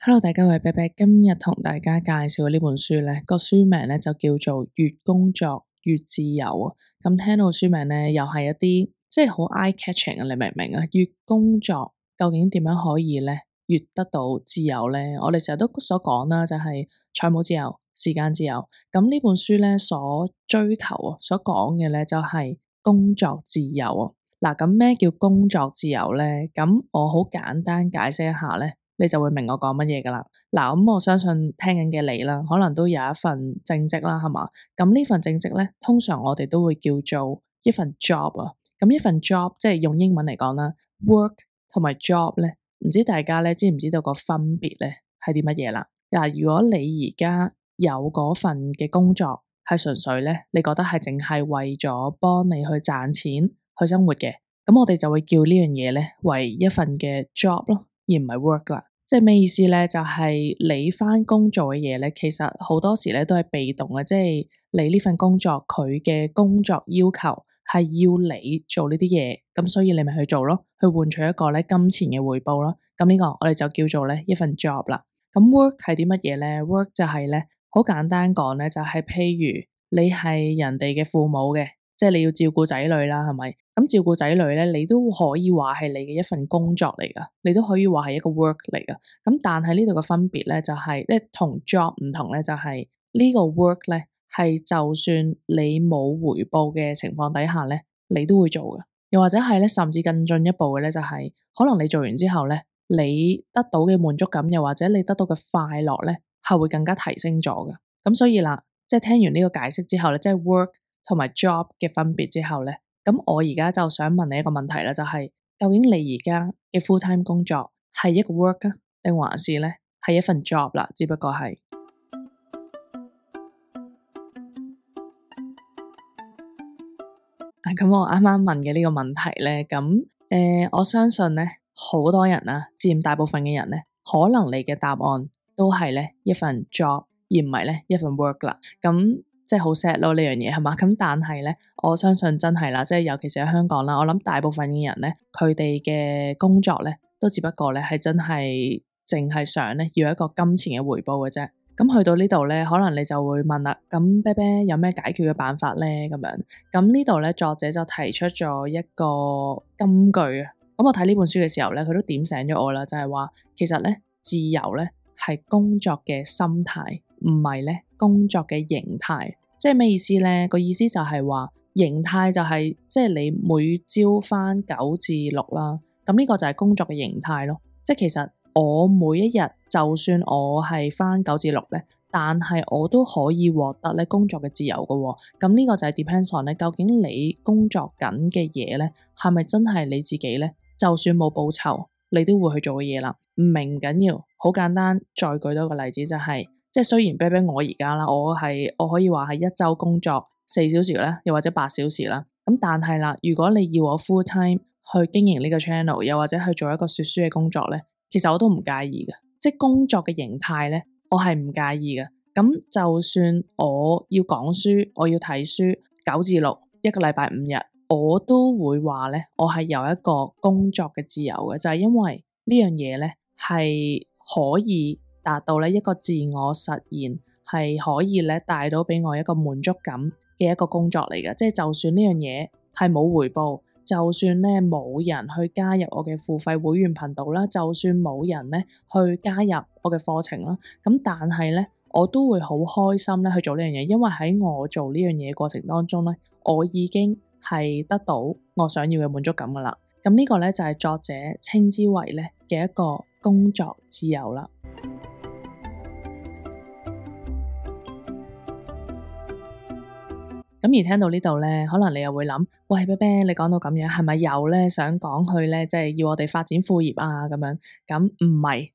Hello，大家好，我係啤啤，今日同大家介紹呢本書咧，個書名咧就叫做越工作越自由啊。咁聽到書名咧，又係一啲即係好 eye catching 啊，你明唔明啊？越工作究竟點樣可以咧越得到自由咧？我哋成日都所講啦，就係財務自由、時間自由。咁呢本書咧所追求啊，所講嘅咧就係工作自由啊。嗱，咁咩叫工作自由咧？咁我好簡單解釋一下咧。你就會明我講乜嘢噶啦。嗱，咁我相信聽緊嘅你啦，可能都有一份正職啦，係嘛？咁呢份正職咧，通常我哋都會叫做一份 job 啊。咁一份 job 即係用英文嚟講啦，work 同埋 job 咧，唔知大家咧知唔知道個分別咧係啲乜嘢啦？嗱，如果你而家有嗰份嘅工作係純粹咧，你覺得係淨係為咗幫你去賺錢去生活嘅，咁我哋就會叫呢樣嘢咧為一份嘅 job 咯，而唔係 work 啦。即係咩意思咧？就係你返工做嘅嘢咧，其實好多時咧都係被動嘅，即係你呢份工作佢嘅工作要求係要你做呢啲嘢，咁所以你咪去做咯，去換取一個咧金錢嘅回報咯。咁呢個我哋就叫做咧一份 job 啦。咁 work 係啲乜嘢咧？work 就係咧好簡單講咧，就係譬如你係人哋嘅父母嘅。即係你要照顧仔女啦，係咪？咁照顧仔女咧，你都可以話係你嘅一份工作嚟噶，你都可以話係一個 work 嚟噶。咁但係呢度嘅分別咧，就係即係同 job 唔同咧，就係呢個 work 咧係就算你冇回報嘅情況底下咧，你都會做嘅。又或者係咧，甚至更進一步嘅咧，就係可能你做完之後咧，你得到嘅滿足感，又或者你得到嘅快樂咧，係會更加提升咗嘅。咁所以啦，即係聽完呢個解釋之後咧，即係 work同埋 job 嘅分別之後咧，咁我而家就想問你一個問題啦，就係究竟你而家嘅 full time 工作係一個 work 啊，定還是咧係一份 job 啦？只不過係咁我啱啱問嘅呢個問題咧，咁我相信咧好多人啊，佔大部分嘅人咧，可能你嘅答案都係咧一份 job，而唔係咧一份 work 啦。咁即係好 sad 咯呢樣嘢係嘛？咁但係咧，我相信真係啦，即係尤其是喺香港啦，我諗大部分嘅人咧，佢哋嘅工作咧，都只不過咧係真係淨係想咧要一個金錢嘅回報嘅啫。咁去到呢度咧，可能你就會問啦，咁啤啤有咩解決嘅辦法咧？咁樣，咁呢度咧作者就提出咗一個金句啊。咁我睇呢本書嘅時候咧，佢都點醒咗我啦，就係話其實咧自由咧係工作嘅心態，唔係咧工作嘅形態。即係咩意思咧？個意思就係話形態就係即係你每朝返9至6啦，咁呢個就係工作嘅形態咯。即係其實我每一日就算我係返9至6咧，但係我都可以獲得咧工作嘅自由㗎喎。咁呢個就係 depends on 咧，究竟你工作緊嘅嘢咧係咪真係你自己咧？就算冇報酬，你都會去做嘅嘢啦。唔明唔緊要，好簡單。再舉多個例子就係。即係雖然啤啤我而家啦，我可以話係一周工作4小時啦，又或者8小時啦。咁但係啦，如果你要我 full time 去經營呢個 channel，又或者去做一個說書嘅工作咧，其實我都唔介意嘅。即係工作嘅形態咧，我係唔介意嘅。咁就算我要講書，我要睇書9至6，一個禮拜5日，我都會話咧，我係有一個工作嘅自由嘅，就係因為呢樣嘢咧係可以達到咧一個自我實現，係可以咧帶到俾我一個滿足感嘅一個工作嚟嘅。即係就算呢樣嘢係冇回報，就算咧冇人去加入我嘅付費會員頻道啦，就算冇人咧去加入我嘅課程啦，咁但係咧我都會好開心咧去做呢樣嘢，因為喺我做呢樣嘢過程當中咧，我已經係得到我想要嘅滿足感噶啦。咁呢個咧就係作者稱之為咧嘅一個工作自由啦。咁而聽到呢度咧，可能你又會諗，喂，啤啤，你講到咁樣，係咪又咧想講去咧，即係要我哋發展副業啊咁樣？咁唔係，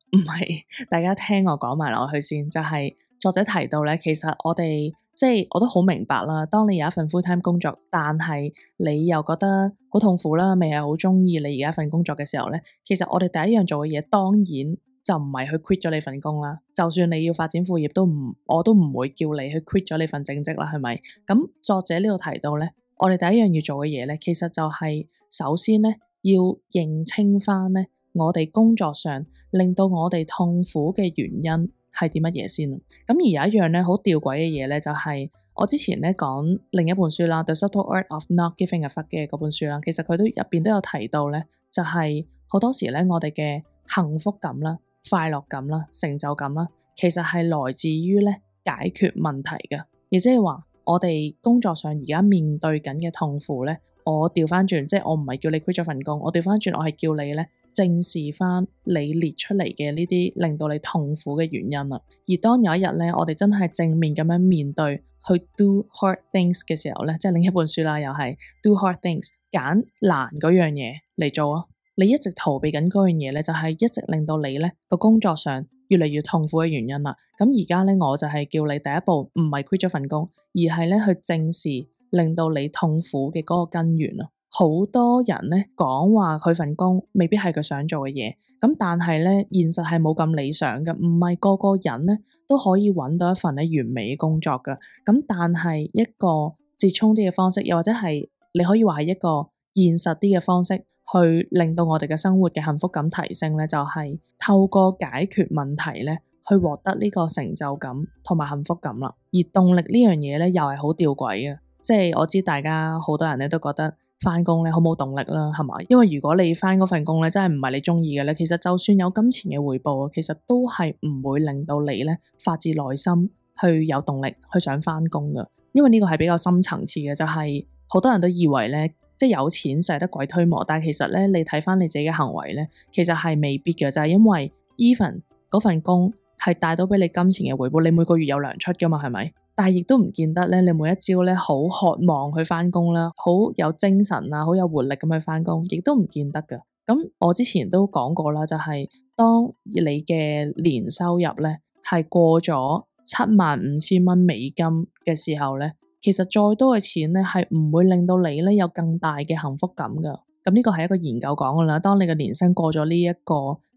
大家聽我講埋落去先。就係作者提到咧，其實我哋即係我都好明白啦。當你有一份 full time 工作，但係你又覺得好痛苦啦，未係好中意你而家份工作嘅時候咧，其實我哋第一樣做嘅嘢，當然就唔係去 quit 咗你份工啦。就算你要發展副業，我都唔會叫你去 quit 咗你份正職啦，係咪？咁作者呢度提到咧，我哋第一樣要做嘅嘢咧，其實就係首先咧要認清翻咧我哋工作上令到我哋痛苦嘅原因係啲乜嘢先。咁而有一樣咧好吊詭嘅嘢咧，就係我之前咧講另一本書啦，《The Subtle Art of Not Giving a Fuck》嘅嗰本書啦，其實佢都入邊都有提到咧，就係好多時咧我哋嘅幸福感啦、快樂感啦、成就感啦，其實係來自於咧解決問題嘅，亦即係話我哋工作上而家面對緊嘅痛苦咧，我調翻轉，即係我唔係叫你 quit 咗份工，我調翻轉，我係叫你咧正視翻你列出嚟嘅呢啲令到你痛苦嘅原因啦。而當有一日咧，我哋真係正面咁樣面對去 do hard things 嘅時候咧，即係另一本書啦，又係 do hard things， 揀難嗰樣嘢嚟做啊。你一直逃避緊嗰樣嘢咧，就係一直令到你咧個工作上越嚟越痛苦嘅原因啦。咁而家咧，我就係叫你第一步唔係 quit 咗份工，而係咧去正視令到你痛苦嘅嗰個根源啊。好多人咧講話佢份工未必係佢想做嘅嘢，咁但係咧現實係冇咁理想嘅，唔係個個人咧都可以揾到一份咧完美嘅工作噶。咁但係一個折衷啲嘅方式，又或者係你可以話係一個現實啲嘅方式，去令到我哋嘅生活嘅幸福感提升咧，就係透過解決問題咧，去獲得呢個成就感同埋幸福感啦。而動力呢樣嘢咧，又係好吊詭嘅，即係我知大家好多人咧都覺得翻工咧好冇動力啦，係嘛？因為如果你翻嗰份工咧真係唔係你中意嘅咧，其實就算有金錢嘅回報，其實都係唔會令到你咧發自內心去有動力去想翻工噶。因為呢個係比較深層次嘅，就係好多人都以為咧，即係有錢使得鬼推磨，但係其實咧，你睇翻你自己嘅行為咧，其實係未必嘅，就係因為 even 嗰份工係帶到俾你金錢嘅回報，你每個月有糧出噶嘛，係咪？但係亦都唔見得咧，你每一朝咧好渴望去翻工啦，好有精神啊，好有活力咁去翻工，亦都唔見得噶。咁我之前都講過啦，就係當你嘅年收入咧係過咗75,000蚊美金嘅時候咧，其實再多嘅錢咧係唔會令到你咧有更大嘅幸福感噶。咁呢個係一個研究講噶啦，當你嘅年薪過咗呢一個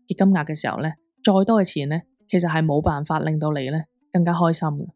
嘅金額嘅時候咧，再多嘅錢咧其實係冇辦法令到你咧更加開心嘅。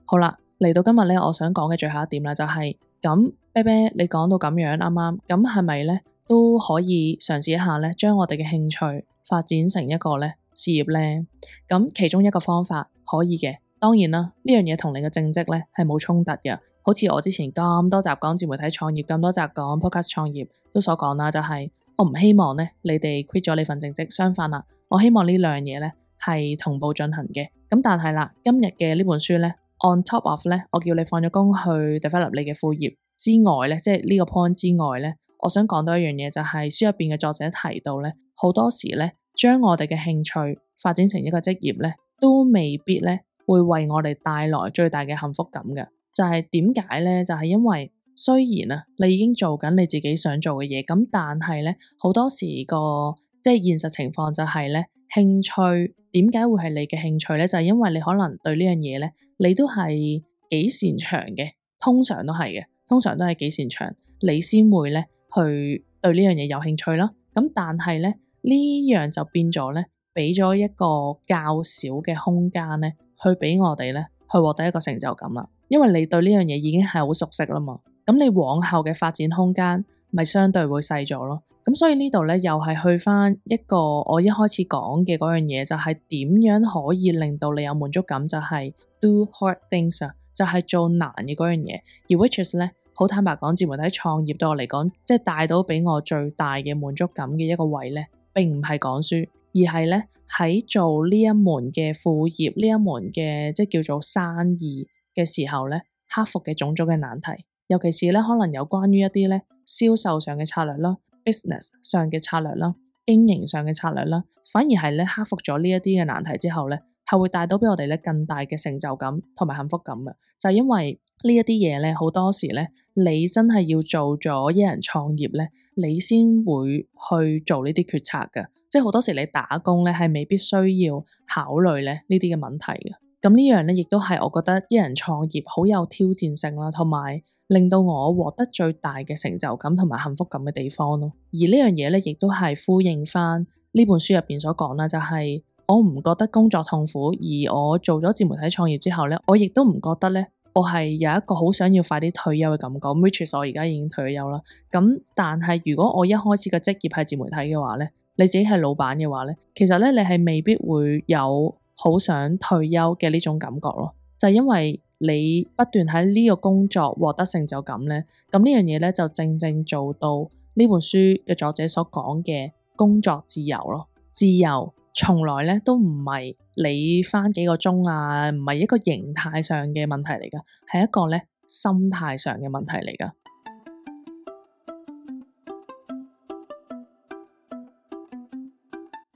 好啦，嚟到今日咧，我想講嘅最後一點啦，就係咁，啤啤你講到咁樣啱啱，咁係咪咧都可以嘗試一下咧，將我哋嘅興趣發展成一個咧事業咧？咁其中一個方法可以嘅，當然啦，呢樣嘢同你嘅正職咧係冇衝突嘅。好似我之前咁多集講自媒體創業，咁多集講 podcast 創業都所講啦，就係我唔希望咧你哋 quit 咗你份正職，相反啦，我希望呢兩樣嘢咧係同步進行嘅。咁但係啦，今日嘅呢本書咧，on top of 咧，我叫你放咗工去 develop 你嘅副業之外咧，即係呢個 point 之外咧，我想講到一樣嘢，就係書入邊嘅作者提到咧，好多時咧將我哋嘅興趣發展成一個職業咧，都未必咧會為我哋帶來最大嘅幸福感嘅。就係點解咧？就係因為雖然啊，你已經做緊你自己想做嘅嘢，咁但係咧好多時個即係現實情況就係咧，興趣點解會係你嘅興趣咧？就係因為你可能對呢樣嘢咧，你都係幾擅長嘅，通常都係嘅，通常都係幾擅長，你先會咧去對呢樣嘢有興趣啦。咁但係咧呢樣就變咗咧，俾咗一個較少嘅空間咧，去俾我哋咧去獲得一個成就感啦。因為你對呢樣嘢已經係好熟悉啦嘛，咁你往後嘅發展空間咪相對會細咗咯。咁所以呢度咧又係去翻一個我一開始講嘅嗰樣嘢，就係點樣可以令到你有滿足感，就係 do hard things 啊，就係做難嘅嗰樣嘢。而 which is 咧，好坦白講，自媒體創業對我嚟講，即係帶到俾我最大嘅滿足感嘅一個位咧，並唔係講書，而係咧喺做呢一門嘅副業，呢一門嘅即係叫做生意嘅時候咧，克服嘅種種嘅難題，尤其是咧可能有關於一啲咧銷售上嘅策略啦、business 上嘅策略啦、經營上嘅策略啦，反而係咧克服咗呢一啲嘅難題之後咧，係會帶到俾我哋咧更大嘅成就感同埋幸福感嘅。就係因為呢一啲嘢咧，好多時咧，你真係要做咗一人創業咧，你先會去做呢啲決策嘅。即係好多時你打工咧，係未必需要考慮咧呢啲嘅問題嘅。咁呢樣咧，亦都係我覺得一人創業好有挑戰性啦，同埋令到我獲得最大嘅成就感同埋幸福感嘅地方咯。而呢樣嘢咧，亦都係呼應翻呢本書入邊所講啦，就係我唔覺得工作痛苦，而我做咗自媒體創業之後咧，我亦都唔覺得咧我係有一個好想要快啲退休嘅感覺，which is 我而家已經退咗休啦。咁但係如果我一開始嘅職業係自媒體嘅話咧，你自己係老闆嘅話咧，其實咧你係未必會有好想退休嘅呢種感覺咯。就係因為你不斷喺呢個工作獲得成就感咧，咁呢樣嘢咧就正正做到呢本書嘅作者所講嘅工作自由咯。自由從來咧都唔係你返幾個鐘啊，唔係一個形態上嘅問題嚟㗎，係一個咧心態上嘅問題嚟㗎。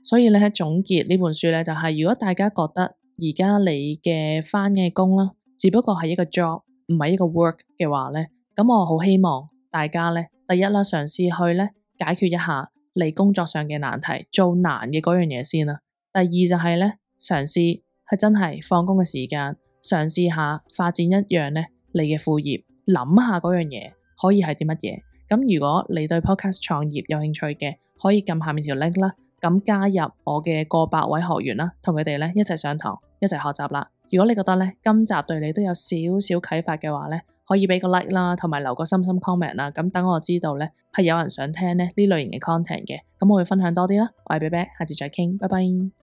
所以咧喺總結呢本書咧，就係如果大家覺得而家你嘅返嘅工啦，只不過係一個 job，唔係一個 work 嘅話咧，咁我好希望大家咧，第一啦，嘗試去咧解決一下你工作上嘅難題，做難嘅嗰樣嘢先啦。第二就係咧，嘗試係真係放工嘅時間，嘗試下發展一樣咧你嘅副業，諗下嗰樣嘢可以係啲乜嘢。咁如果你對 podcast 創業有興趣嘅，可以撳下面條 link 啦。咁加入我嘅過百位學員啦，同佢哋咧一齊上堂，一齊學習啦。如果你覺得咧今集對你都有少少啟發嘅話咧，可以俾個 like 啦，同埋留個心心 comment 啦。咁等我知道咧係有人想聽咧呢類型嘅 content 嘅，咁我會分享多啲啦。我係 Bear Bear，下次再傾，拜拜。